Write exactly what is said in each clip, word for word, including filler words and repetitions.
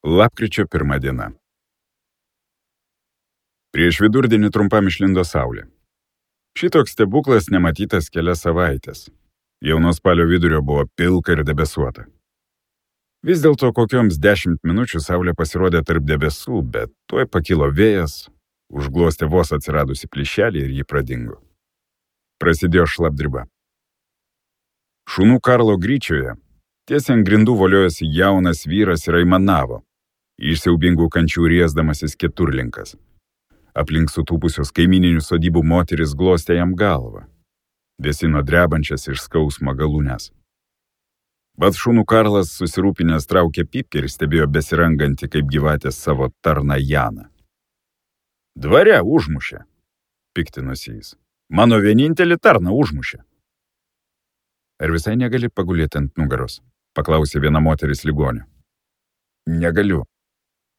Lapkričio pirma diena. Prieš vidurdienį trumpam išlindo saulė. Šitoks stebuklas nematytas kelias savaitės. Jau nuo spalio vidurio buvo pilka ir debesuota. Vis dėlto kokioms dešimt minučių saulė pasirodė tarp debesų, bet tuoj pakilo vėjas, užglostė vos atsiradusi plyšelį ir jį pradingo. Prasidėjo šlapdriba. Šunų Karlo gryčioje tiesiai ant grindų voliojosi jaunas vyras ir aimanavo, iš siaubingų kančių riesdamasis keturlinkas. Aplink sutūpusios kaimininių sodybų moteris glostė jam galvą, vėsino drebančias iš skausmo galūnes. Bet šunų Karlas susirūpinęs traukė pypkę ir stebėjo besirangantį kaip gyvatės savo tarną Janą. Dvare užmušė, piktinosi jis. Mano vienintelį tarną užmušė. Ar visai negali pagulėti ant nugaros? Paklausė viena moteris ligonio. Negaliu.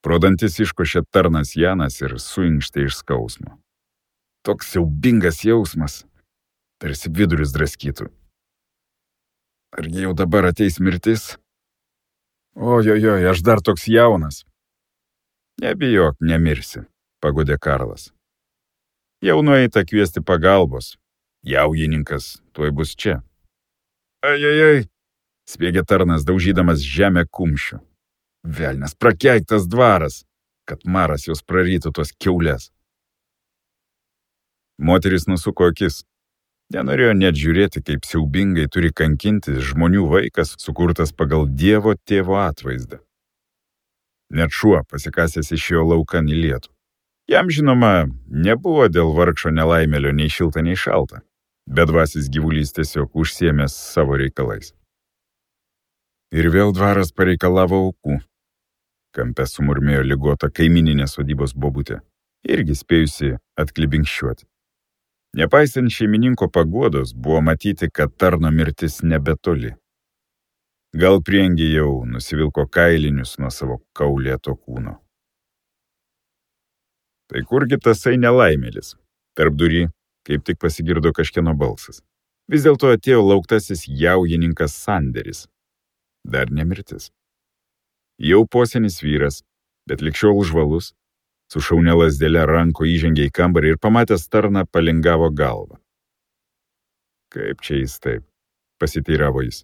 Pro dantis iškošė tarnas Janas ir suinkštė iš skausmo. Toks siaubingas jausmas, tarsi viduris draskytų. Argi jau dabar ateis mirtis? Ojojoj, aš dar toks jaunas. Nebijok, nemirsi, pagodė Karlas. Jau nueita kviesti pagalbos. Jaujininkas tuoj bus čia. Ajajaj, spiegė tarnas, daužydamas žemę kumščiu. Velnias, prakeiktas dvaras, kad maras jos prarytų tos kiaulės. Moteris nusuko akis. Nenorėjo net žiūrėti, kaip siaubingai turi kankinti žmonių vaikas, sukurtas pagal Dievo tėvo atvaizdą. Net šuo pasikasęs išėjo laukan į lietų. Jam, žinoma, nebuvo dėl vargšo nelaimėlio nei šilta, nei šalta. Bedvasis gyvulys tiesiog užsiėmęs savo reikalais. Ir vėl dvaras pareikalavo aukų. Kampe sumurmėjo ligota kaimininė sodybos bobutė, irgi spėjusi atklibinkščiuoti. Nepaisant šeimininko paguodos, buvo matyti, kad tarno mirtis nebetoli. Gal priengė jau nusivilko kailinius nuo savo kaulėto kūno. Tai kurgi tasai nelaimėlis? Tarp durį kaip tik pasigirdo kažkieno balsas. Vis dėlto atėjo lauktasis jaujininkas Sanderis. Dar nemirtis. Jau posenis vyras, bet likščiol žvalus, su šaunia lazdele ranko įžengė į kambarį ir pamatęs tarną palingavo galvą. Kaip čia jis taip? Pasiteiravo jis.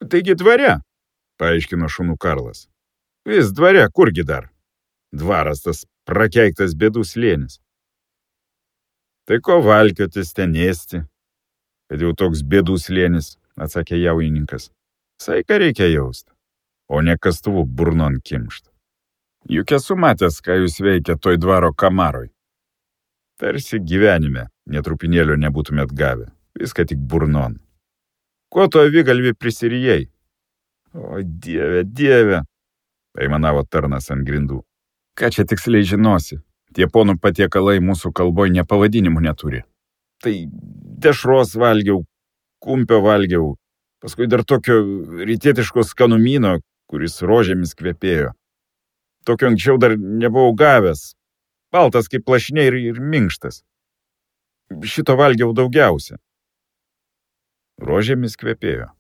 Taigi dvare, paaiškino šunų Karlas. Vis dvare, kurgi dar? Dvaras tas prakeiktas bėdų slėnis. Tai ko valkiotis ten ėsti, kad jau toks bėdų slėnis, atsakė jaujininkas. Saiką reikia jausti, o ne kastuvų burnon kimšt. Juk esu matęs, ką jūs veikia toj dvaro kamaroj. Tarsi gyvenime netrupinėlio nebūtumėt gavę, viską tik burnon. Ko to avigalvį prisirijai? O dieve, dieve, aimanavo tarnas ant grindų. Ką čia tiksliai žinosi? Tie ponų patiekalai mūsų kalboj nepavadinimų neturi. Tai dešros valgiau, kumpio valgiau, paskui dar tokio rytietiško skanumyno, kuris rožėmis kvepėjo. Tokio anksčiau dar nebuvau gavęs. Baltas kaip plašiniai ir, ir minkštas. Šito valgiau daugiausia. Rožėmis kvepėjo,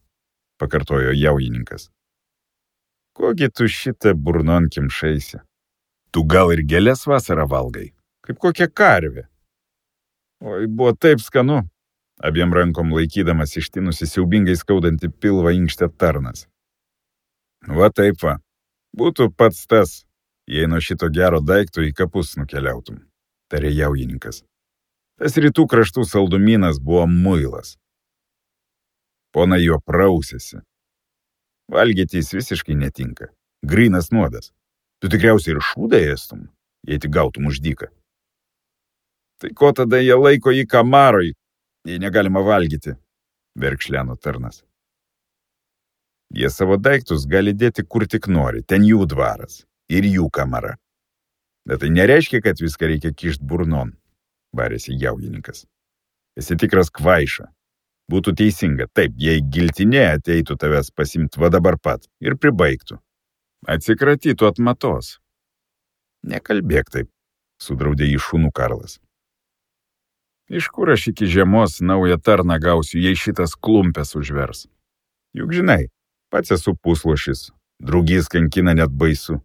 pakartojo jaujininkas. Kogi tu šitą burnon kimšaisi? Tu gal ir gėlės vasarą valgai, kaip kokia karvė. Oi, buvo taip skanu, abiem rankom laikydamas ištinusi siaubingai skaudantį pilvą inkštė tarnas. Va taip va, būtų pats tas, jei nuo šito gero daikto į kapus nukeliautum, tarė jaujininkas. Tas rytų kraštų saldumynas buvo muilas. Pona jo prausėsi. Valgyti jis visiškai netinka, grynas nuodas. Tu tikriausiai ir šūdą ėstum, jei tik gautum už dyką. Tai ko tada jie laiko jį kamaroj, jei negalima valgyti, verkšleno tarnas. Jie savo daiktus gali dėti kur tik nori, ten jų dvaras ir jų kamara. Bet tai nereiškia, kad viską reikia kišt burnon, barėsi jaujininkas. Esi tikras kvaiša. Būtų teisinga, taip, jei giltinė ateitų tavęs pasimt va dabar pat ir pribaigtų. Atsikratytų atmatos. Nekalbėk taip, sudraudė jį šunų Karlas. Iš kur aš iki žiemos naują tarną gausiu, jei šitas klumpės užvers? Juk žinai, pats esu puslošis, drugys kankina net baisu.